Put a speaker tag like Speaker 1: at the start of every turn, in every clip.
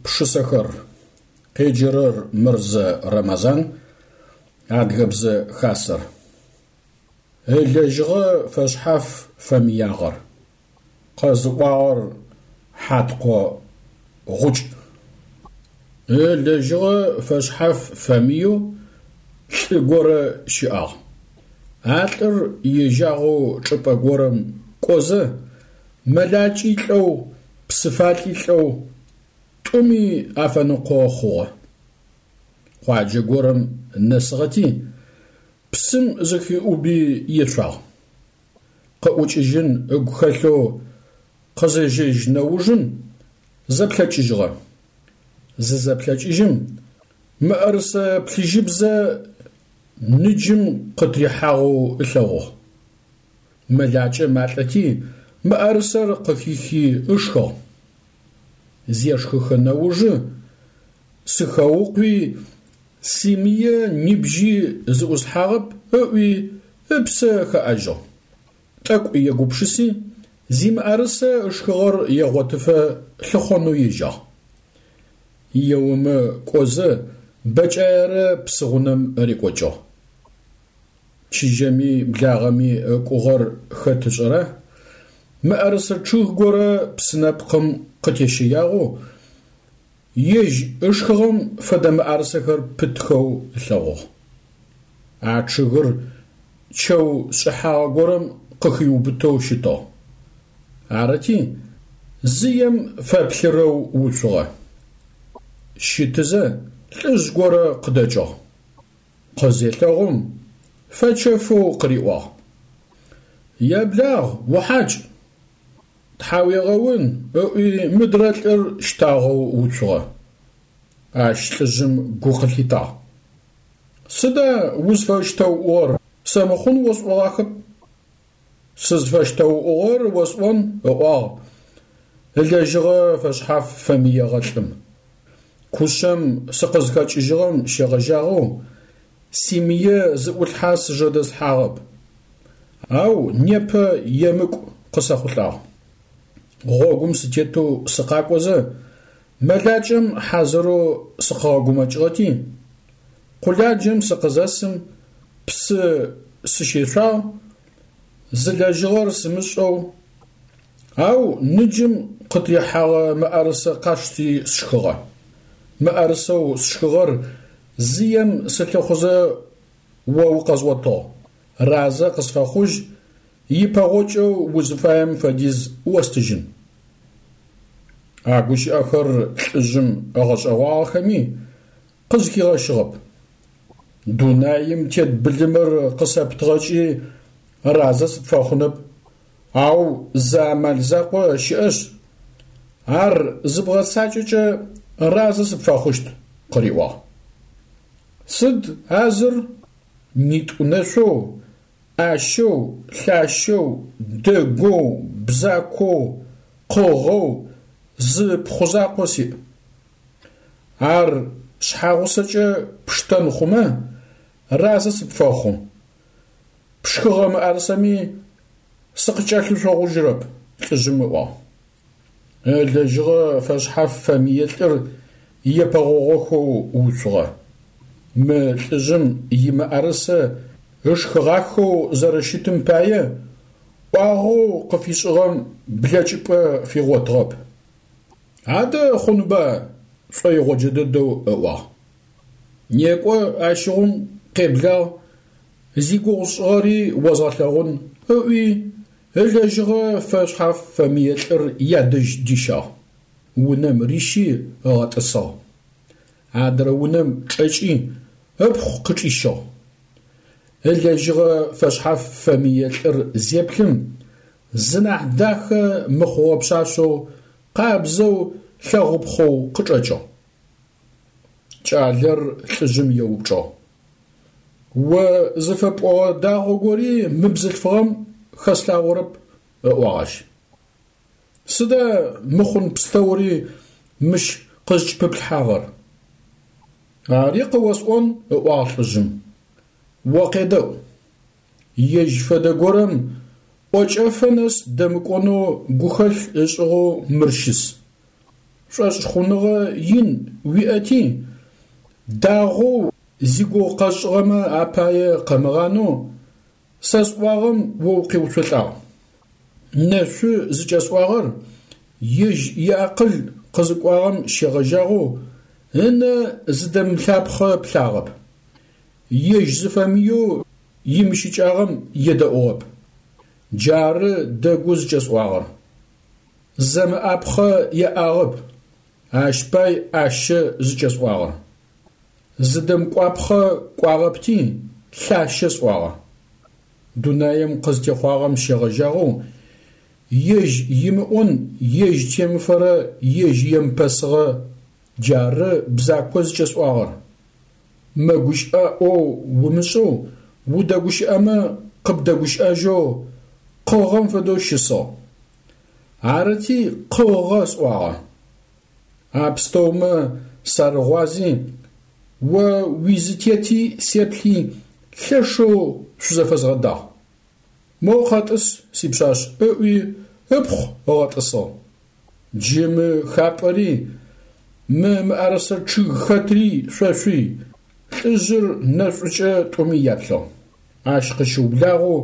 Speaker 1: Пшысэхэр. Къеджэрэр Мырзэ Рэмэзан, Адыгэбзэ Хасэр. Ылэжьыгъэ фэшъхьаф фэмыягъэр. Къэзыӏуагъэр Хьаткъо Гъукӏ. Ылэжьыгъэ фэшъхьаф фэмыеу лӏы горэ щыӏагъ. А лӏыр ежьагъэу чӏыпӏэ горэм кӏозэ, мэлакӏи лӏэу, псыфалӏи лӏэу, тӏуми афэныкъо хъугъэ. Къуаджэ горэм нэсыгъэти, псым зыхиӏуби ешъуагъ. Къыӏукӏыжьын ыгу хэлъэу къызежьэжь нэужым зэплъэкӏыжьыгъэ. Зызэплъэкӏыжьым, мыӏэрысэ плъыжьыбзэ ныджым къытрихьагъэу ылъэгъугъ. Мэлакӏэ малӏэти, мыӏэрысэр къыхихи ышхыгъ. Зешхыхэ нэужы, сыхэукъуи, симые нибжьи зыӏуслъхьагъэп ыӏуи, ыпсэ хэӏэжьыгъ. Тӏэкӏу егупшыси, зимыӏэрысэ ышхыгъэр егъотыфэ лъыхъонэу ежьагъ. Еомэ кӏозэ, бэкӏаерэ псыгъунэм рекӏокӏыгъ. Чыжьэми благъэми ыкӏугъэр хэт ышӏэра? Мыӏэрысэ чъыг горэ псынэпкъым къытещэягъэу, ежь ышхыгъэм фэдэ мыӏэрысэхэр пытхэу ылъэгъугъ. А чъыгыр чэу шӏыхьагъэ горэм къыхиубытэу щытыгъ. Арыти, зыем фэплъырэу уцугъэ. Щытызэ, лӏыжъ горэ къыдэкӏыгъ. Къызелъэгъум, фэчэфэу къыриӏуагъ. Еблагъ, ухьакӏ! Тхьауегъэун, ыӏуи мыдрэ лӏыр щтагъэу уцугъэ. Ащ лӏыжъым гу къылъитагъ. Сыда узфэщтэуӏугъэр, сэ мыхъун осӏогъахэп. Сызфэщтэуӏугъэр осӏон, ыӏуагъ ылэжьыгъэ фэшъхьаф фэмыегъэ лӏым. Кушъэм сыкъызхэкӏыжьыгъэм щегъэжьагъэу симые зы ӏулъхьэ сыжэдэслъхьагъэп. Ау непэ емыкӏу къысэхъулӏагъ. Гъогум сытетэу сыкъакӏозэ, мэлакӏэм хьазырэу сыкъыгъэгумэкӏыгъэти, къуладжэм сыкъызэсым псы сыщешъуагъ, зылэжьыгъэр сымышӏэу, ау ныджым къытрихьэгъэ мыӏэрысэ къасшти сшхыгъэ. Мыӏэрысэу сшхыгъэр зыем сылъыхъузэ о укъэзгъотыгъ, разэ къысфэхъужь, ипэгъокӏэу узыфаем фэдиз остыжьын. А гущыӏэхэр лӏыжъым ыгъэшӏэгъуагъэхэми, къызхигъэщыгъэп. Дунаим тет былымыр къысэптыгъэкӏи разэ сыпфэхъунэп, ау зы амал закъо щыӏэшъ, ар зыбгъэцакӏэкӏэ разэ сыпфэхъущт, къыриӏуагъ. Сыд а зыр? Нитӏу нэшъоу, ӏащэу, лъащэу, дэгоу, бзакоу, къыгъэу зы пхъу закъо сиӏ. Ар шъхьагъусэкӏэ пштэн хъумэ, разэ сыпфэхъу. Пшхыгъэ мыӏэрысэми сыкъыкӏэлъышъогъужьырэп, лӏыжъым ыӏуагъ. Ылэжьыгъэ фэшъхьаф фэмые лӏыр епэгъогъохэу уцугъэ. Мы лӏыжъым имыӏэрысэ ышхыгъахэу зэрэщытым пае ӏуагъэу къыфишӏыгъэм блэкӏыпӏэ фигъотыгъэп. Адэ хъунба, шӏоигъоджэ дэдэу ыӏуагъ. Некӏо, ащыгъум къеблагъ, зигугъу сшӏыгъэри озгъэлъэгъун, ыӏуи, ылэжьыгъэ фэшъхьаф фэмые лӏыр ядэжь дищагъ. Унэм рищи ыгъэтӏысыгъ. Адрэ унэм чӏэкӏи, ыпхъу къычӏищыгъ. Ылэжьыгъэ фэшъхьаф фэмые лӏыр зеплъым, зынахь дахэ мыхъугъэ пшъашъэу, къабзэу, лъэгъупхъэу къычӏэкӏыгъ. Кӏалэр лӏыжъым еупчӏыгъ. О зыфэпӏогъэ дагъо гори мы бзылъфыгъэм хэслъагъорэп, ыӏуагъ ащ. Сыда мыхъун пстэури мыщ къызкӏыпыплъхьагъэр? Ари къыосӏон, ыӏуагъ лӏыжъым. О къедэӏу. Ежь фэдэ горэм ӏокӏэфэ нэс дэмыкӏонэу гухэлъ ышӏыгъэу мыр щыс. Шӏошъхъуныгъэ ин уиӏэти, дагъоу зигугъу къэсшӏыгъэмэ апае къэмыгъанэу, сэ сӏуагъэм о укъеуцолӏагъ. Нэшъу зыкӏэсӏуагъэр ежь иакъыл къызыкӏуагъэм щегъэжьагъэу ынэ зыдэмыплъапхъэ плъагъэп. Ежь зыфэмыеу имыщыкӏагъэм едэӏугъэп. Джары дэгу зыкӏэсӏуагъэр. Зэмыӏапхъэ еӏагъэп, ащ пай ӏащэ зыкӏэсӏуагъэр. Зыдэмыкӏуапхъэ кӏуагъэпти, лъащэ сӏуагъэ. Дунаем къызтехъуагъэм щегъэжьагъэу, ежь имыӏон, ежь темыфэрэ, ежь емыпэсыгъэ джары бзако зыкӏэсӏуагъэр. Мэгущыӏэ ӏоу умышӏэу, удэгущыӏэмэ къыбдэгущыӏэжьэу къыгъэм фэдэу щысыгъ. Арыти, къыгъэ сӏуагъэ. А пстэумэ сарыгъуази, о уизытети сеплъи, лъэшэу шъузэфэзгъэдагъ. Моу къэтӏыс, сипшъашъ, ыӏуи, ыпхъу ыгъэтӏысыгъ. Джы мы хапӏэри, мы мыӏэрысэ чъыг хэтри шъошъуй, лӏыжъыр нэшӏукӏэ тӏуми яплъыгъ. Ащ къыщыублагъэу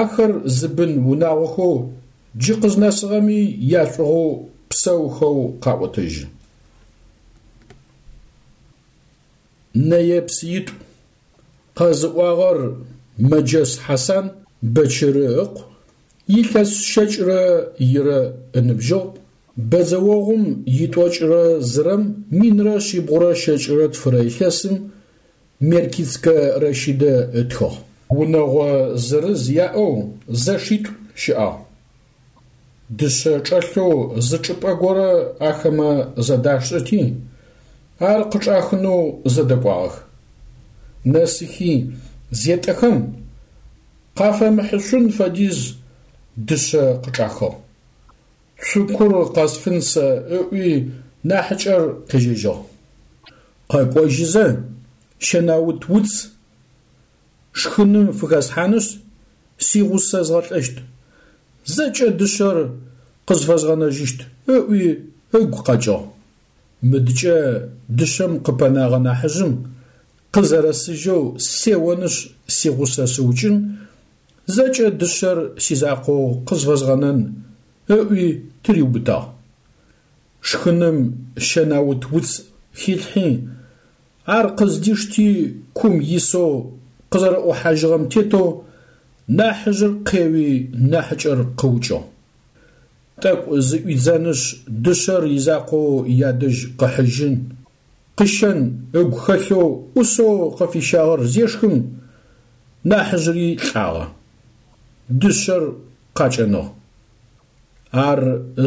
Speaker 1: ахэр зы бын унагъохэу джы къызнэсыгъэми яшӏугъэу псэухэу къаӏотэжьы. Нэе-псыитӏу. Къэзыӏуагъэр Мэджэс Хьасан Бэчыры ыкъу, илъэс щэкӏрэ ирэ ыныбжьыгъ, бэдзэогъум итӏокӏрэ зырэм 1172-рэ илъэсым Меркицкэ Рэщыдэ ытхыгъ. Унэгъо зырыз яӏэу зэшитӏу щыӏагъ. Дышъэ чӏэлъэу зы чӏыпӏэ горэ ахэмэ зэдашӏэти, ар къычӏахынэу зэдэкӏуагъэх. Нэсыхи зетӏэхэм, къафэмыхьышъун фэдиз дышъэ къычӏахыгъ. Цукур къэсфын сэ ыӏуи нахьыкӏэр къежьэжьыгъ. Къэкӏожьызэ, щэнаут уц шхыным фыхэслъхьанышъ, сигъусэ згъэлӏэщт, зэкӏэ дышъэр къызфэзгъэнэжьыщт ыӏуи ыгу къэкӏыгъ. Мыдкӏэ дышъэм къыпэнагъэ нахьыжъым къызэрэсыжьэу сеонышъ сигъусэ сыукӏын, зэкӏэ дышъэр сизакъоу къызфэзгъэнэн ыӏуи тыриубытагъ. Шхыным щэнаут уц хилъхьи, ар къыздишти кум исэу къызэрэӏухьажьыгъэм тетэу нахьыжъыр къеуи нахьыкӏэр къыукӏыгъ. Тӏэкӏу зыӏуидзэнышъ дышъэр изакъоу ядэжь къыхьыжьын, къыщэн ыгу хэлъэу ӏусэу къыфищагъэр зешхым, нахьыжъри лӏагъэ. Дышъэр къакӏэныгъ. Ар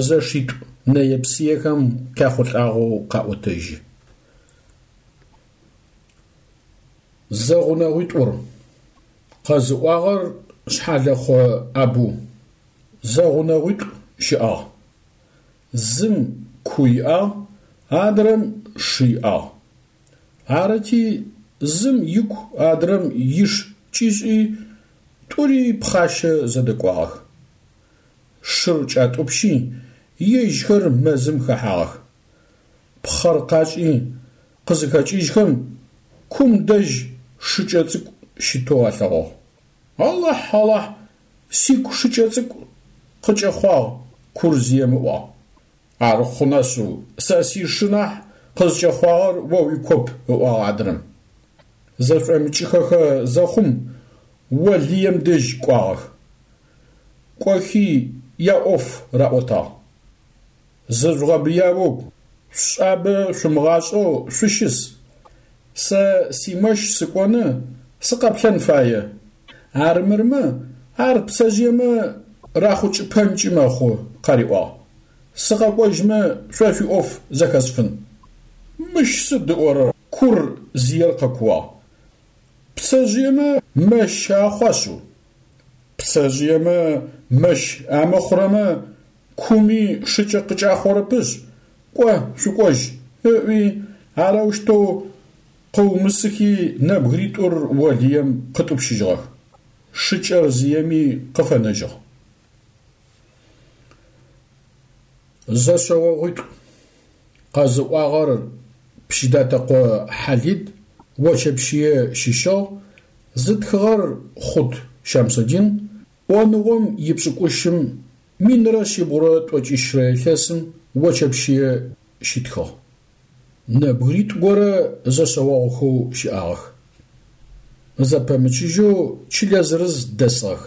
Speaker 1: зэшитӏу нэе-псыехэм къяхъулӏагъэу къаӏотэжьы. Зэгъунэгъуитӏур. Къэзыӏуагъэр Шъхьэлэхъо Абу. Зэгъунэгъуитӏу щыӏагъ. Зым ку иӏагъ, адрэм шы иӏагъ. Арыти, зым ику адрэм иш кӏишӏи, тӏури пхъащэ зэдэкӏуагъэх. Шыр кӏатӏупщи, ежьхэр мэзым хэхьагъэх. Пхъэр къашӏи, къызыхэкӏыжьхэм, кум дэжь шыкӏэ цӏыкӏу щытэу алъэгъугъ. Алахь, Алахь, сику шыкӏэ цӏыкӏу къыкӏэхъуагъ, кур зием ыӏуагъ. Ар хъуна шъыу, сэ сишы нахь къызкӏэхъуагъэр о уикоп, ыӏуагъ адрэм. Зэшӏомыкӏыхэхэ зэхъум, олыем дэжь кӏуагъэх. Кӏохи яӏоф раӏотагъ. Зыжъугъэбыяугу, шъушӏабэ шъумыгъашӏэу шъущыс. Сэ симэщ сыкӏоны, сыкъэплъэн фае. Арымырмэ, ар пцэжъыемэ рахъукӏыпэнкӏи мэхъу, къариӏуагъ. Сыкъэкӏожьмэ, шъо шъуиӏоф зэхэсфын. Мыщ сыд ыӏорэр? Кур зиер къэкууагъ. Пцэжъыемэ мэщ ахъуа шъыу? Пцэжъыемэ мэщ амыхъурэмэ, куми шыкӏэ къыкӏахъорэпышъ, кӏо, шъукӏожь, ыӏуи, арэущтэу къыумысыхи нэбгыритӏур олыем къытӏупщыжьыгъэх. Шыкӏэр зиеми къыфэнэжьыгъ. Зэшъэогъуитӏу. Къэзыӏуагъэр Пщыдатэкъо Хьалид, Очэпщые щыщыгъ, зытхыгъэр Хъут Щамсудин, ӏоныгъом ипшӏыкӏущым 1190 илъэсым Очэпщые щитхыгъ. Нэбгыритӏу горэ зэшъэогъухэу щыӏагъэх. Зэпэмычыжьэу чылэ зырыз дэсыгъэх.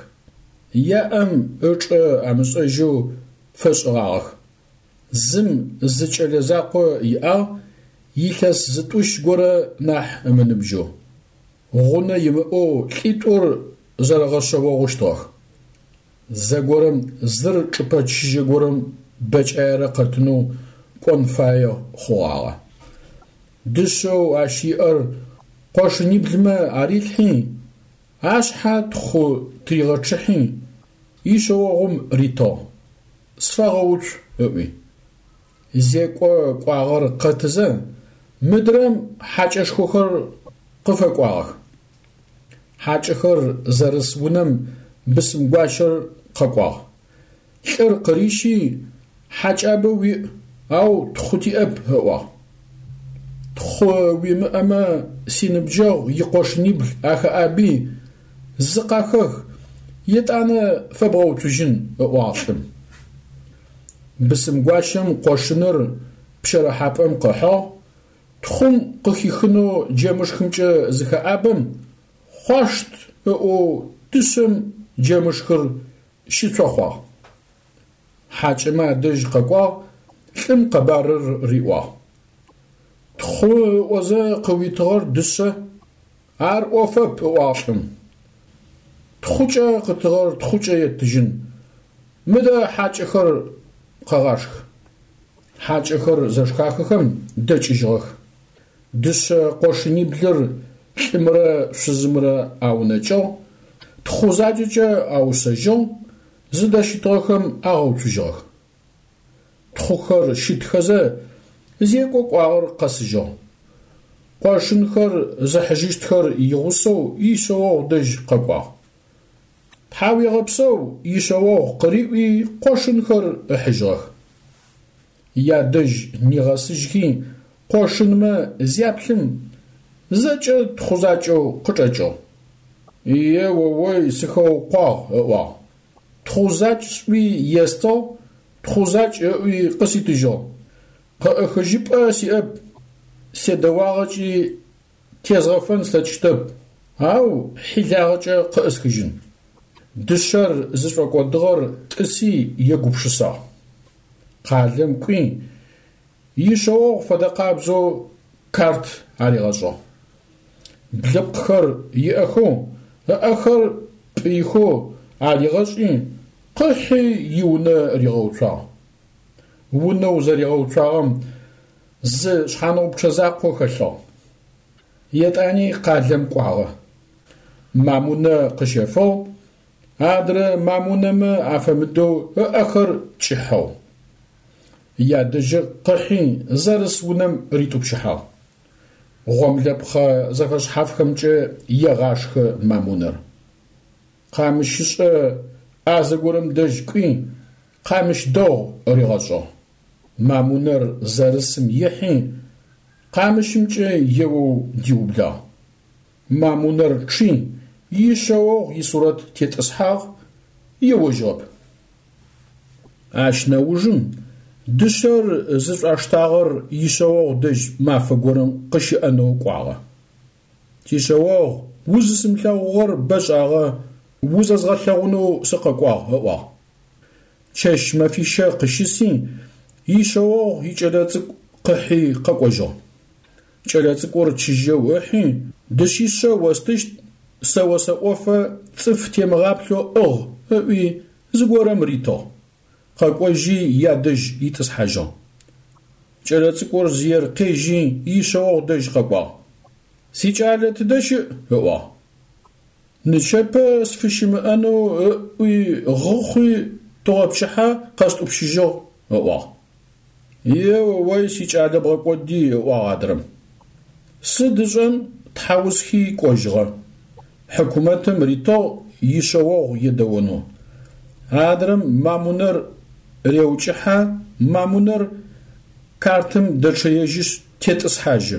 Speaker 1: Яӏэм ычӏэ амышӏэжьэу фэшӏыгъагъэх. Зым зы кӏэлэ закъо иӏагъ, илъэс зытӏущ горэ нахь ымыныбжьэу. Гъунэ имыӏэу лӏитӏур зэрэгъэшъэогъущтыгъэх. Зэгорэм зыр чӏыпӏэ чыжьэ горэм бэкӏаерэ къэтынэу кӏон фае хъугъагъэ. Дышъэу ащ иӏэр къошыниблымэ арилъхьи, ашъхьэ тхъу тыригъэчъыхьи, ишъэогъум ритыгъ, сфэгъэуцу ыӏуи. Зекӏо кӏуагъэр къэтызэ, мыдрэм хьакӏэшхохэр къыфэкӏуагъэх. Хьакӏэхэр зэрыс унэм бысымгуащэр къэкӏуагъ. Лӏыр къырищи, хьакӏабэ уиӏ, ау тхъу тиӏэп, ыӏуагъ. Тхъу уимыӏэмэ, синыбджэгъу икъошынибл ахэӏаби, зы къахэх, етӏанэ фэбгъэуцужьын, ыӏуагъ лӏым. Бысымгуащэм къошыныр пщэрыхьапӏэм къыхьыгъ, Тхъум къыхихынэу джэмышхымкӏэ зыхэӏабэм, хъуашт ыӏоу дышъэм джэмышхыр щыцохъуагъ. Хьакӏэмэ адэжь къэкӏуагъ, лӏым къэбарыр риӏуагъ. Тхъу ыӏозэ къыуитыгъэр дышъэ, ар ӏофэп, ыӏуагъ лӏым. Тхъукӏэ къытыгъэр тхъукӏэ еттыжьын. Мыдэ хьакӏэхэр къэгъашх. Хьакӏэхэр зэшхахэхэм дэкӏыжьыгъэх. Дышъэ къошыниблыр лӏымрэ шъузымрэ аунэкӏыгъ, тхъу закӏэкӏэ аушъэжьыгъ, зыдэщытыгъэхэм агъэуцужьыгъэх. Тхъухэр щытхэзэ, зекӏо кӏуагъэр къэсыжьыгъ. Къошынхэр зыхьыжьыщтхэр игъусэу ишъэогъу дэжь къэкӏуагъ. Тхьауегъэпсэу ишъэогъу къыриӏуи къошынхэр ыхьыжьыгъэх. Ядэжь нигъэсыжьхи къошынмэ зяплъым, зэкӏэ тхъу закӏэу къычӏэкӏыгъ. Е-о-ой, сыхэукъуагъ, ыӏуагъ. Тхъу закӏ сӏуи естыгъ, тхъу закӏ ыӏуи къыситыжьыгъ. Къыӏыхыжьыпӏэ сиӏэп, седэуагъэкӏи тезгъэфэн слъэкӏыщтэп, ау хьилагъэкӏэ къыӏысхыжьын. Дышъэр зышӏокӏодыгъэр тӏыси егупшысагъ. Къалэм кӏуи, ишъэогъу фэдэкъабзэу карт аригъэшӏыгъ. Блыпкъхэр иӏэхэу, ыӏэхэр пӏыихэу аригъэшӏи, къыхьи иунэ ригъэуцуагъ. Унэу зэригъэуцуагъэм зы шъхьаныгъупчъэ закъо хэлъыгъ. Етӏани къалэм кӏуагъэ. Мамунэ къыщэфыгъ, адрэ мамунэмэ афэмыдэу ыӏэхэр кӏыхьэу. Ядэжьы къыхьи зэрыс унэм ритӏупщыхьагъ. Гъомлэпхъэ зэфэшъхьафхэмкӏэ егъашхэ мамунэр. Къамыщышӏэ ӏазэ горэм дэжь кӏуи, къамыщ дэгъу ригъэшӏыгъ. Мамунэр зэрысым ихьи, къамыщымкӏэ еоу диублагъ. Мамунэр чъи, ишъэогъу исурэт тетӏысхьагъ, еожьыгъэп. Ащ нэужым дышъэр зышӏуаштагъэр ишъэогъу дэжь мафэ горэм къыщыӏэнэу кӏуагъэ. Сишъэогъу, узысымылъэгъугъэр бэшӏагъэ, узэзгъэлъэгъунэу сыкъэкӏуагъ, ыӏуагъ. Чэщ-мэфищэ къыщыси, ишъэогъу икӏэлэцӏыкӏу къыхьи къэкӏожьыгъ. Кӏэлэцӏыкӏур чыжьэу ыхьи, дышъишъэ остыщт, сэ осэӏофэ цӏыф темыгъаплъэу ӏыгъ, ыӏуи, зыгорэм ритыгъ. Къэкӏожьи ядэжь итӏысхьажьыгъ. Кӏэлэцӏыкӏур зыер къежьи ишъэогъу дэжь къэкӏуагъ. Сикӏалэ тыдэ щыӏ? ыӏуагъ. Нычэпэ сфыщымыӏэнэу ыӏуи гъыхъуи тыгъопчыхьэ къэстӏупщыжьыгъ, ыӏуагъ. Е-о-ой, сикӏалэ бгъэкӏоди, ыӏуагъ адрэм. Сыд ышӏэн, тхьаусхи кӏожьыгъэ. Хьыкумэтым ритыгъ ишъэогъу едэонэу. Адрэм мамунэр реукӏыхьэ, мамунэр. картым дэчъэежьышъ тетӏысхьажьы.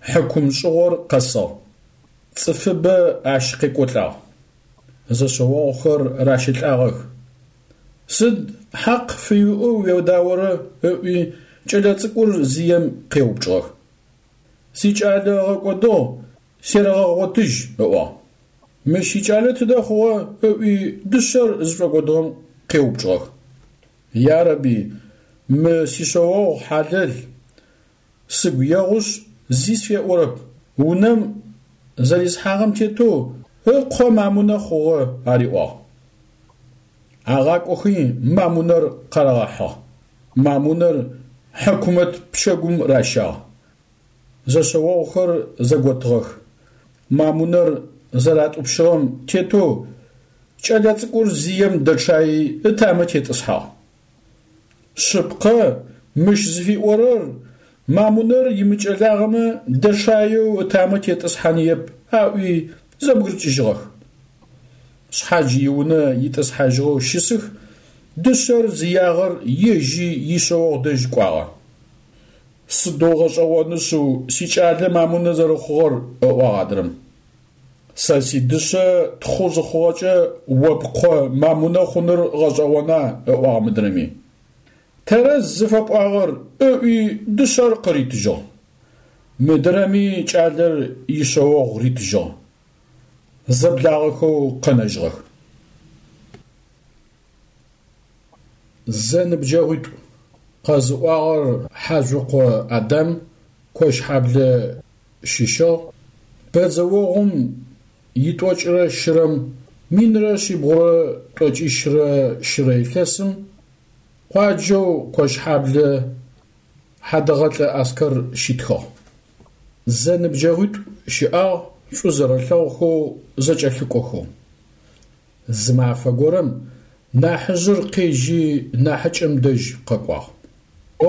Speaker 1: Хьыкум шӏыгъор къэсыгъ. Цӏыфыбэ ащ къекӏолӏагъ. Зэшъэогъухэр ращэлӏагъэх. Сыд хьакъ фыуиӏэу уедаорэ? ыӏуи кӏэлэцӏыкӏур зием къеупчӏыгъэх. Сикӏалэ ыгъэкӏодыгъ, серэгъэгъотыжь, ыӏуагъ. Мыщ икӏалэ тыдэ хъугъэ? ыӏуи дышъэр зышӏокӏодыгъэм къеупчӏыгъэх. Ярэби, мы сишъэогъу хьалэл, сыгу егъушъ, зи сфеӏорэп, унэм зэрисхьагъэм тетэу ыкъо мамунэ хъугъэ, ариӏуагъ. Агъакӏохи мамунэр къарагъэхьыгъ. Мамунэр хьыкумэт пчэгум ращагъ. Зэшъэогъухэр зэготыгъэх. Мамунэр зэратӏупщыгъэм тетэу кӏэлэцӏыкӏур зием дэчъаи ытамэ тетӏысхьагъ. Шъыпкъэ, мыщ зыфиӏорэр Мамунэр имыкӏэлагъэмэ дэчъаеу ытамэ тетӏысхьаныеп аӏуи зэбгырыкӏыжьыгъэх. Шъхьадж иунэ итӏысхьажьыгъэу щысых, дышъэр зиягъэр ежьи ишъэогъу дэжь кӏуагъэ. Сыдэу гъэшӏэгъоны шъыу сикӏалэ мамунэ зэрэхъугъэр, ыӏуагъ адрэм. Сэ сидышъэ тхъу зыхъугъэкӏэ о пкъо мамунэ хъуныр гъэшӏэгъона, ыӏуагъ мыдрэми. Тэрэз зыфэпӏуагъэр, ыӏуи дышъэр къыритыжьыгъ. Мыдрэми кӏалэр ишъэогъу ритыжьыгъ. Зэблагъэхэу къэнэжьыгъэх. Зэныбджэгъуитӏу. Къэзыӏуагъэр Хьажъукъо Адам, Кощхьаблэ щыщыгъ, бэдзэогъум итӏокӏырэ щырэм 1753 илъэсым къуаджэу Кощхьаблэ Хьадэгъэлӏэ Аскэр щитхыгъ. Зэныбджэгъуитӏу щыӏагъ шӏу зэрэлъэгъухэу зэкӏэлъыкӏохэу. Зы мафэ горэм нахьыжъыр къежьи нахьыкӏэм дэжь къэкӏуагъ.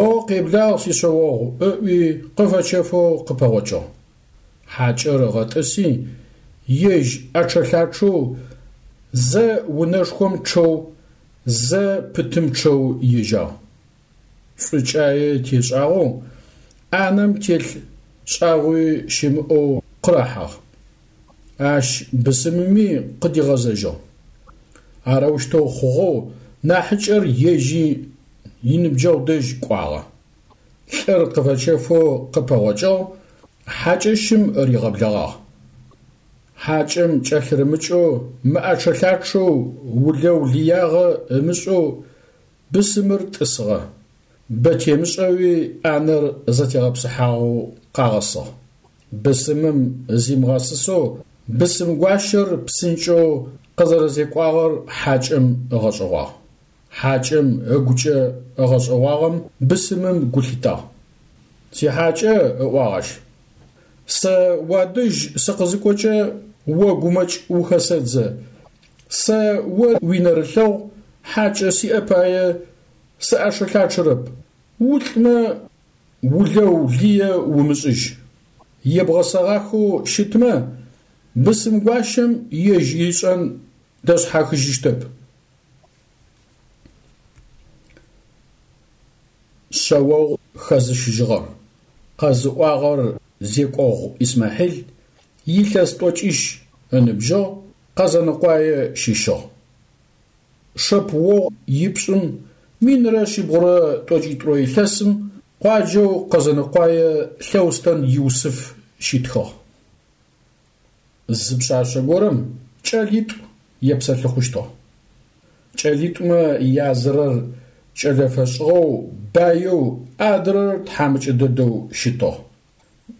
Speaker 1: О, къеблагъ, сишъэогъу, ыӏуи къыфэчэфэу къыпэгъокӏыгъ. Хьакӏэр ыгъэтӏыси, ежь ӏэчъэ-лъачъэу зэ унэшхом чъэу, зэ пытым чъэу ежьагъ. Шӏукӏае тешӏагъэу, ӏанэм телъ шӏагъуи щымыӏэу къырахьагъ. Ащ бысымыми къыдигъэзэжьыгъ. Арэущтэу хъугъэу нахьыкӏэр ежьи иныбджэгъу дэжь кӏуагъэ. Лӏыр къыфэчэфэу къыпэгъокӏыгъ, хьакӏэщым ригъэблэгъагъ. Хьакӏэм кӏэлъырымыкӏэу, мыӏэчъэ-лъачъэу, улэу-лыягъэ ымышӏэу бысымыр тӏысыгъэ. Бэ темышӏэуи ӏанэр зэтегъэпсыхьагъэу къагъэсыгъ. Бысымым зимыгъэсысэу бысымгуащэр псынкӏэу къызэрэзекӏуагъэр хьакӏэм ыгъэшӏэгъуагъ. Хьакӏэм ыгукӏэ ыгъэшӏэгъуагъэм бысымым гу лъитагъ. Сихьакӏэ, ыӏуагъ ащ, сэ уадэжь сыкъызыкӏокӏэ о гумэкӏ ухэсэдзэ. Сэ о уинэрылъэгъу хьакӏэ сиӏэ пае сыӏэчъэ-лъачъэрэп, улӏмэ улэу лые умышӏыжь. Ебгъэсэгъахэу щытмэ, бысымгуащэм ежь ишӏэн дэшъхьахыжьыщтэп. Шъэогъу хэзыщыжьыгъэр. Къэзыӏуагъэр Зекӏогъу Исмахьил, илъэс тӏокӏищ ыныбжьыгъ, Къэзэныкъуае щыщыгъ. Шэпыогъу ипшӏым 1792 илъэсым къуаджэу Къэзэныкъуае Лъэустэн Юсыф щитхыгъ. Зы пшъашъэ горэм кӏэлитӏу епсэлъыхъущтыгъ. Кӏэлитӏумэ язырэр кӏэлэ фэшӏыгъэу баеу, адрэр тхьамыкӏэ дэдэу щытыгъ.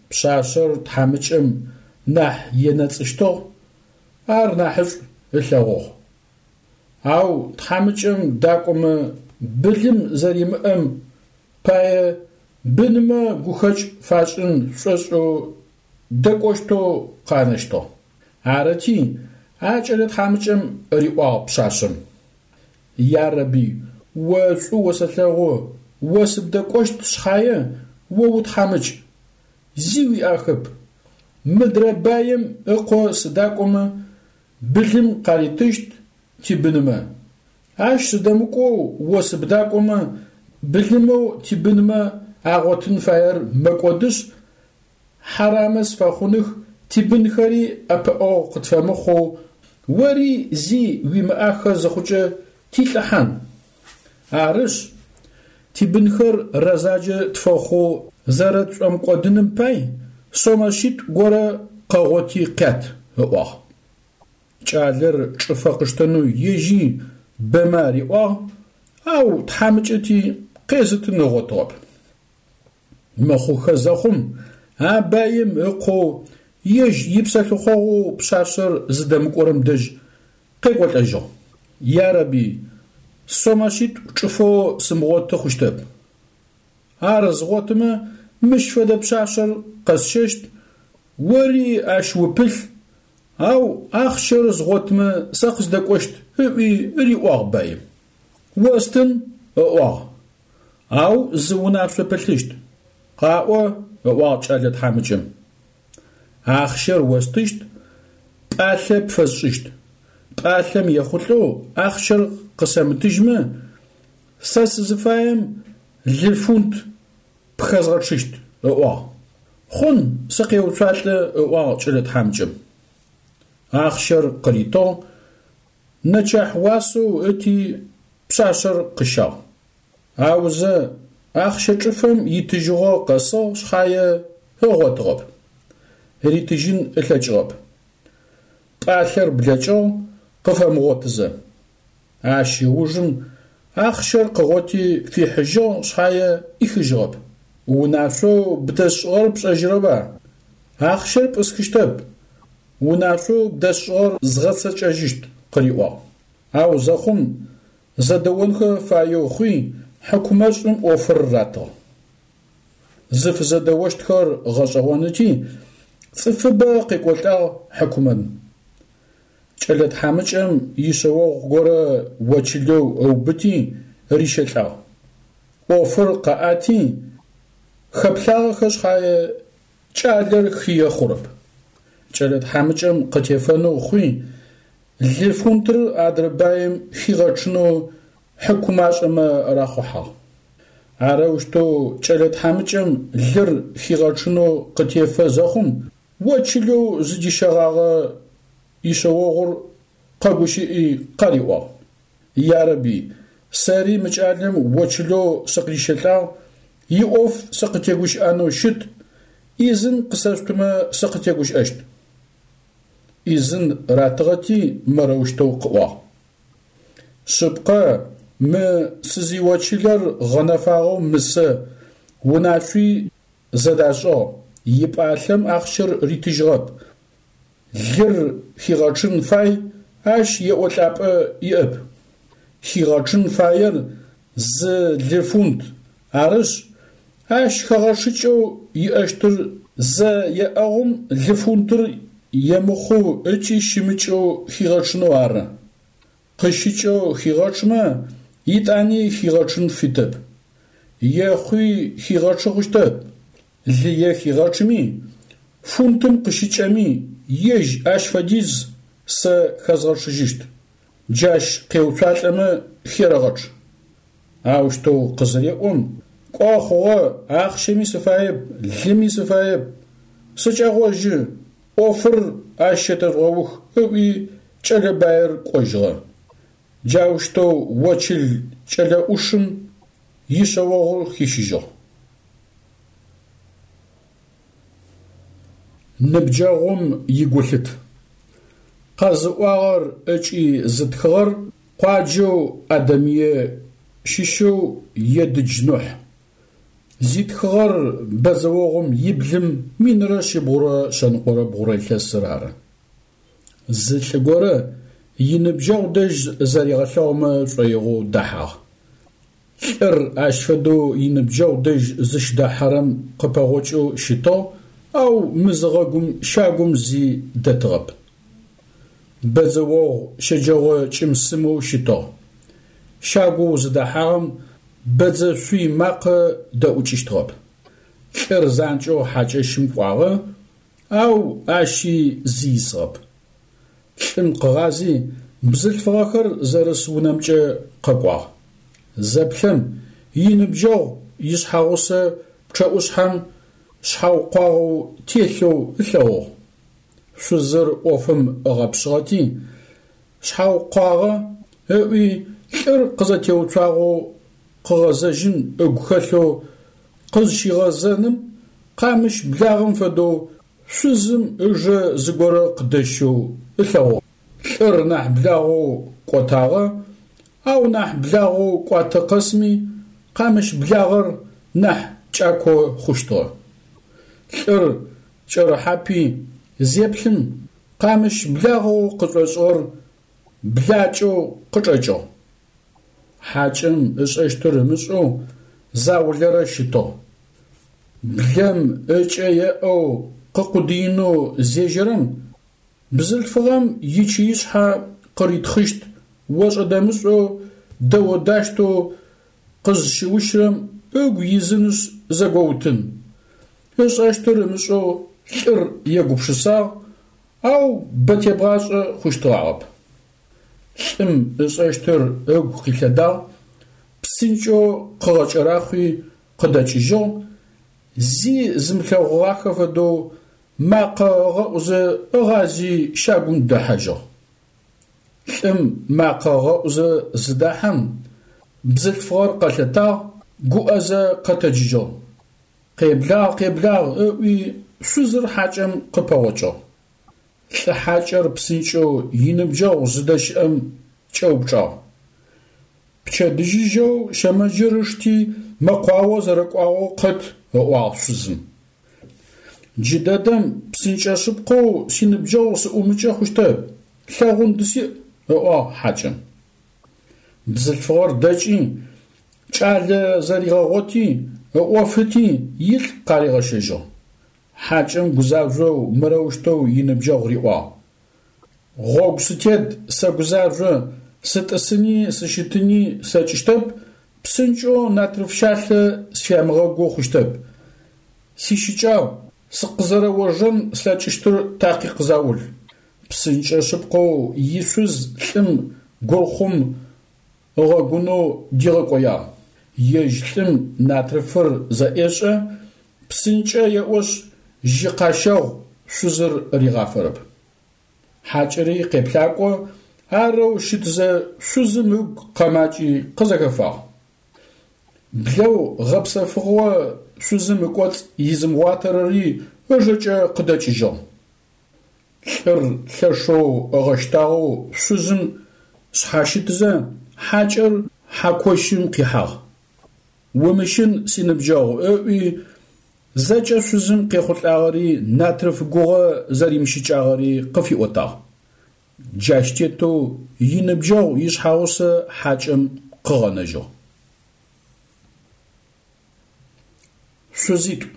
Speaker 1: Пшъашъэр тхьамыкӏэм нахь енэцӏыщтыгъ, ар нахьышӏу ылъэгъугъ. Ау тхьамыкӏэм дакӏомэ былым зэримыӏэм пае бынымэ гухэкӏ фашӏын шӏошӏэу дэкӏощтэу къанэщтыгъ. Арыти, а кӏэлэ тхьамыкӏэм риӏуагъ пшъашъэм: Ярэби, о шӏу осэлъэгъу, о сыбдэкӏощт шъхьае, о утхьамыкӏ, зи уиӏахэп. Мыдрэ баем ыкъо сыдакӏомэ, былым къаритыщт тибынымэ. Ащ сыдэмыкӏоу о сыбдакӏомэ, Былымэу тибынмэ агъотын фаер мэкӏодышъ, хьарамэ сфэхъуных, тибынхэри ӏэпыӏэгъу къытфэмыхъоу, ори зи уимыӏахэ зыхъукӏэ тилӏыхьан. Арышъ, тибынхэр рэзаджэ тфэхъоу зэрэтшӏомыкӏодыным пай сомэ шъитӏу горэ къэгъоти къят, ыӏуагъ. Кӏалэр чӏыфэ къыштэнэу ежьи бэмэ ариӏуагъ, ау тхьамыкӏэти къезытын ыгъотыгъэп. Мыхъухэ зэхъум, а баим ыкъоу ежь ипсэлъыхъогъоу пшъашъэр зыдэмыкӏорэм дэжь къекӏолӏэжьыгъ. Ярэби, сомэ шъитӏу чӏыфэу сымыгъоты хъущтэп. Ар згъотымэ, мыщ фэдэ пшъашъэр къэсщэщт, ори ащ упылъ, ау ахъщэр згъотымэ сэ къыздэкӏощт, ыӏуи риӏуагъ баим. Остын, ыӏуагъ, ау зы унашъо пылъыщт. Къаӏо, ыӏуагъ кӏэлэ тхьамыкӏэм. Ахъщэр остыщт, пӏалъэ пфэсшӏыщт. Пӏалъэм ехъулӏэу ахъщэр къысэмытыжьмэ, сэ сызыфаем лы фунт пхэзгъэчъыщт, ыӏуагъ. Хъун, сыкъеуцуалӏэ, ыӏуагъ кӏэлэ тхьамыкӏэм. Ахъщэр къыритыгъ, нэчахь уасэу ыти пшъашъэр къыщагъ. Аузэ, ахъщэ чӏыфэм итыжьыгъо къэсыгъ шъхьае ыгъотыгъэп. Ритыжьын ылъэкӏыгъэп. Пӏалъэр блэкӏыгъ, къыфэмыгъотызэ. Ащ ыужым ахъщэр къыгъоти фихьыжьыгъ шъхьае ӏихыжьыгъэп. Унашъоу бдэсшӏыгъэр пшӏэжьырэба? Ахъщэр пӏысхыщтэп, унашъоу бдэсшӏыгъэр згъэцэкӏэжьыщт, къыриӏуагъ. Ау зэхъум зэдэонхэ фаеу хъуи, хьыкумэшӏым ӏофыр ратыгъ. Зыфызэдэощтхэр гъэшӏэгъоныти, цӏыфыбэ къекӏолӏагъ хьыкумэм. Кӏэлэ тхьамыкӏэм ишъэогъу горэ очылэу ыубыти рищэлӏагъ. ӏофыр къаӏати, хэплъагъэхэ шъхьае кӏалэр хые хъурэп. Кӏэлэ тхьамыкӏэм къытефэнэу хъуи, лы фунтыр адрэ баим хигъэчъынэу хьыкумашӏэмэ рахъухьагъ. Арэущтэу кӏэлэ тхьамыкӏэм лыр хигъэчъынэу къытефэ зэхъум, очылэу зыдищэгъагъэ ишъэогъур къэгущыӏи къариӏуагъ, Ярэби, сэри мы кӏалэм очылэу сыкъырищэлӏагъ, иӏоф сыкъытегущыӏэнэу щыт, ӏизын къысэшъутымэ сыкъытегущыӏэщт. ӏизын ратыгъэти мырэущтэу къыӏуагъ. Шъыпкъэ, мы сызиочылэр гъэнэфагъэу мысэ, унашъуи зэдашӏыгъ, ипӏалъэм ахъщэр ритыжьыгъэп, лыр хигъэчъын фай, ащ еӏолӏапӏэ иӏэп. Хигъэчъын фаер зы лы фунт, арышъ, ащ хэгъэчъыкӏэу иӏэщтыр зэ еӏэгъум лы фунтыр емыхъоу ыкӏи щымыкӏэу хигъэчъынэу ары. Къыщыкӏэу хигъэчъмэ, итӏани хигъэчъын фитэп. Ехъуи хигъэчъы хъущтэп, лые хигъэчъми, фунтым къыщыкӏэми, ежь ащ фэдиз сэ хэзгъэчъыжьыщт. Джащ къеуцуалӏэмэ херэгъэчъ. Аущтэу къызыреӏом, кӏо хъугъэ, ахъщэми сыфаеп, лыми сыфаеп, сыкӏэгъожьы, ӏофыр ащ щэтэжъугъэух, ыӏуи кӏэлэ баир кӏожьыгъэ. Джаущтэу очыл кӏэлэ ӏушым ишъэогъур хищыжьыгъ. Ныбджэгъум игулъыт. Къэзыӏуагъэр ыкӏи зытхыгъэр къуаджэу Адэмые щыщэу Едыдж Нухь. Зитхыгъэр бэдзэогъум иблым 1123 илъэсыр ары. Зы лӏы горэ иныбджэгъу дэжь зэригъэлъэгъумэ шӏоигъоу дэхьагъ. Лӏыр ащ фэдэу иныбджэгъу дэжь зыщыдэхьэрэм къыпэгъокӏэу щытыгъ, ау мызыгъэгум щагум зи дэтыгъэп. Бэдзэогъу щэджэгъо кӏым-сымэу щытыгъ. Щагоу зыдэхьагъэм бэдзэ шъуй макъэ дэӏукӏыщтыгъэп. Лӏыр занкӏэу хьакӏэщым кӏуагъэ, ау ащи зи исыгъэп. Лӏым къыгъази, бзылъфыгъэхэр зэрыс унэмкӏэ къэкӏуагъ. Зэплъэм, иныбджэгъу ишъхьэгъусэ пчъэӏушъхьэм шъхьаукъуагъэу телъэу ылъэгъугъ. Шъузыр ӏофым ыгъэпшъыгъэти, шъхьаукъуагъэ ыӏуи лӏыр къызэтеуцуагъэу къыгъэзэжьын ыгу хэлъэу къызщигъэзэным къамыщ благъэм фэдэу шъузым ыжэ зыгорэ къыдэщэу ылъэгъугъ. Лӏыр нахь благъэу кӏотагъэ, ау нахь благъэу кӏуатэ къэсми къамыщ благъэр нахь кӏако хъущтыгъэ. Лӏыр кӏэрыхьапи зеплъым къамыщ благъэу къышӏошӏыгъэр блакӏэу къычӏэкӏыгъ. Хьакӏэм ышӏэщтыр ымышӏэу заулэрэ щытыгъ. Блэм ыкӏэ еӏэу къыкъудыинэу зежьэрэм, бзылъфыгъэм ичыишъхьэ къыритхъыщт ошӏэ-дэмышӏэу дэо-дащтэу къызщыущырэм ыгу изынышъ зэгоутын. Ышӏэщтыр ымышӏэу лӏыр егупшысагъ, ау бэ тебгъашӏэ хъущтыгъагъэп. Лӏым ышӏэщтыр ыгу къилъэдагъ, псынкӏэу къыгъэкӏэрахъуи къыдэкӏыжьыгъ, зи зымылъэгъугъахэ фэдэу макъэ ыгъэӏузэ ыгъази щагум дэхьажьыгъ. Лӏым макъэ ыгъэӏузэ зыдахьэм, бзылъфыгъэр къэлъэтагъ, гуӏэзэ къэтэджыжьыгъ. Къеблагъ, къеблагъ ыӏуи шъузыр хьакӏэм къыпэгъокӏыгъ. Лӏы хьакӏэр псынкӏэу иныбджэгъу зыдэщыӏэм кӏэупчӏагъ. Пчэдыжьыжьэу щэмэджыр ышти мэкъуао зэрэкӏуагъэу къэт, ыӏуагъ шъузым. Джыдэдэм псынкӏэ шъыпкъэу синыбджэгъу сыӏумыкӏэ хъущтэп, лъэгъун дысиӏ, ыӏуагъ хьакӏэм. Бзылъфыгъэр дэкӏи, кӏалэ зэригъэгъоти, ыӏофыти, илӏ къаригъэщэжьыгъ. Хьакӏэм гузажъоу мырэущтэу иныбджэгъу риӏуагъ, Гъогу сытет, сэгузажъо, сытӏысыни сыщытыни слъэкӏыщтэп, псынкӏэу натрыф щалъэ сфямыгъэгоу хъущтэп. Сищыкӏагъ, сыкъызэрэожэн слъэкӏыщтыр такъикъ заул. Псынкӏэ шъыпкъэу ишъуз лӏым гурхъум ыгъэгунэу дигъэкӏоягъ. Ежь лӏым натрыфыр зэӏешӏэ, псынкӏэ еӏошъ, жьы къащэгъу шъузыр ригъафэрэп. Хьакӏэри къеплъакӏо, арэу щытзэ шъузым ыгу къэмакӏи къызэхэфагъ. Блэу гъэпсэфыгъо шъузым ыкӏоцӏ изымыгъуатэрэри ыжэкӏэ къыдэкӏыжьыгъ. Лӏыр лъэшэу ыгъэщтагъэу шъузым шъхьащытзэ, хьакӏэр хьакощым къихьагъ. Умыщын, синыбджэгъу, ыӏуи, зэкӏэ шъузым къехъулӏагъэри натрыф гугъэ зэримыщыкӏагъэри къыфиӏотагъ. Джащ тетэу иныбджэгъу ишъхьэгъусэ хьакӏэм къыгъэнэжьыгъ. Шъузитӏу.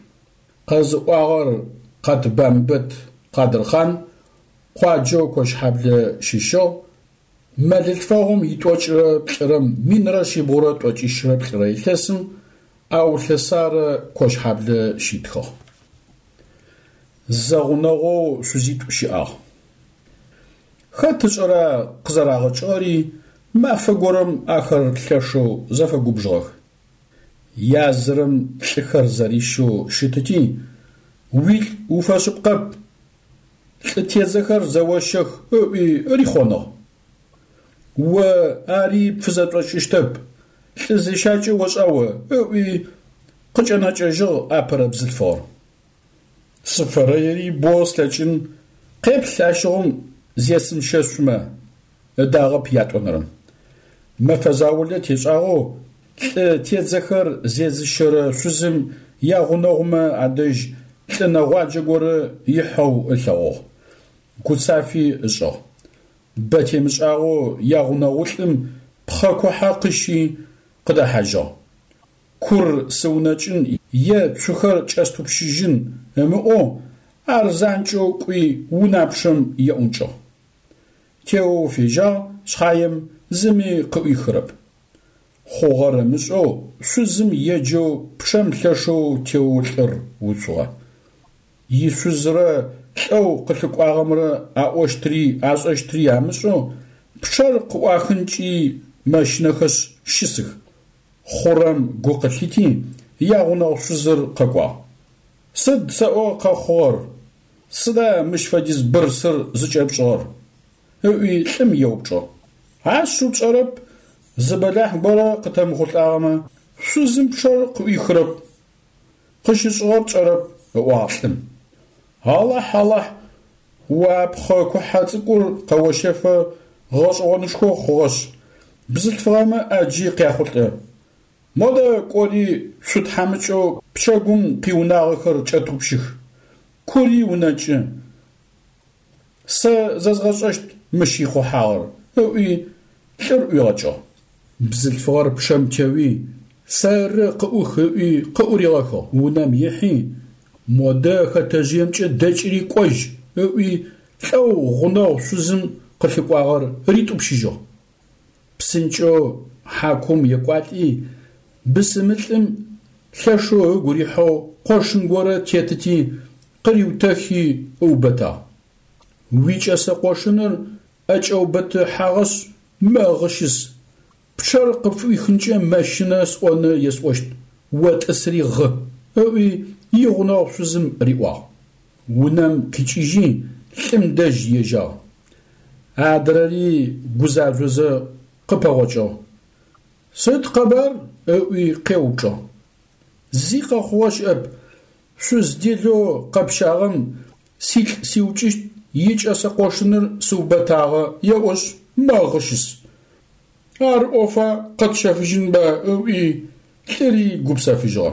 Speaker 1: Къэзыӏуагъэр Къатбамбэт Къадырхъан, къуаджэу Кощхьаблэ щыщыгъ, мэлылъфэгъум итӏокӏырэ плӏырэм 1372 илъэсым Аулъэ Сарэ Кощхьаблэ щитхыгъ. Зэгъунэгъоу шъузитӏу щыӏагъ. Хэт ышӏэра къызэрагъэкӏыгъэри, мафэ горэм ахэр лъэшэу зэфэгубжыгъэх. Язырэм лӏыхэр зэрищэу щытыти, уилӏ уфэшъыпкъэп, лӏы тедзэхэр зэощэх ыӏуи рихъоныгъ. О ари пфызэшӏокӏыщтэп, лӏы зещакӏэ ошӏа о ыӏуи къыкӏэнэкӏэжьыгъ апэрэ бзылъфыгъэр. Сыфэрэери бо слъэкӏын, къеплъ ащыгъум зесымыщэшъумэ, ыдагъэп ятӏонэрэм. Мэфэ заулэ тешӏагъэу лӏы тедзэхэр зезыщэрэ шъузым ягъунэгъумэ адэжь лӏы нэгъуаджэ горэ ихьэу ылъэгъугъ. Гуцафи ышӏыгъ. Бэ темышӏагъэу ягъунэгъулӏым пхъэ кухьэ къыщи къыдэхьажьыгъ. Кур сыунэкӏын е цухэр кӏэстӏупщыжьын ымыӏоу ар занкӏэу кӏуи унапчъэм еӏункӏыгъ. Теоу фежьагъ шъхьаем зыми къыӏуихырэп. Хъугъэр ымышӏэу шъузым еджэу пчъэм лъэшэу теоу лӏыр уцугъэ. Ишъузрэ лӏэу къылъыкӏуагъэмрэ аӏощтри ашӏэщтри амышӏэу пчъэр къыӏуахынкӏи мэщынэхэшъ щысых. Хъурэм гу къылъити, ягъунэгъу шъузыр къэкӏуагъ. Сыд сэӏо къэхъугъэр, сыда мыщ фэдиз бырсыр зыкӏэпшӏыгъэр? ыӏуи лӏым еупчӏыгъ. Ашъыу пшӏэрэп, зы бэлахь горэ къытэмыхъулӏагъэмэ, шъузым пчъэр къыӏуихырэп, къыщышӏыгъэр тшӏэрэп, ыӏуагъ лӏым. Алахь, Алахь, о а пхъэ кухьэ цӏыкӏур къэощэфэ гъэшӏэгъонышхо хъугъэшъ, бзылъфыгъэмэ ӏаджи къяхъулӏэ. Модэ кӏори цу тхьамыкӏэу пчэгум къиунагъэхэр кӏэтӏупщых, кури унэкӏы. Сэ зэзгъэшӏэщт мыщ ихъухьагъэр, ыӏуи, лӏыр ӏуигъэкӏыгъ. Бзылъфыгъэр пчъэм теуи, сэры къыӏух ыӏуи къыӏуригъэхыгъ. Унэм ихьи, модэ хэтэжъыемкӏэ дэкӏри кӏожь ыӏуи, лӏэу гъунэгъу шъузым къылъыкӏуагъэр ритӏупщыжьыгъ. Псынкӏэу хьакум екӏуалӏи, бысымылӏым лъэшэу ыгу рихьэу къошын горэ тетыти, къыриутэхи ыубытагъ. Уикӏэсэ къошыныр ӏэкӏэубытыхьагъэшъ, мэгъы щыс. Пчъэр къыпфыӏуихынкӏэ мэщынэ сӏоны есӏощт, о тӏысри гъы, ыӏуи игъунэгъу шъузым риӏуагъ. Унэм къикӏыжьи, лӏым дэжь ежьагъ. Адрэри гузажъозэ къыпэгъокӏыгъ. Сыд къэбар? ыӏуи къеупчӏыгъ. Зи къэхъугъэ щыӏэп, шъуз делэу къэпщагъэм силӏ сиукӏыщт икӏэсэ къошыныр сыубэтагъэ еӏошъ, мэгъы щыс. Ар ӏофа къэтщэфыжьынба ыӏуи, лӏыри гупсэфыжьыгъэ.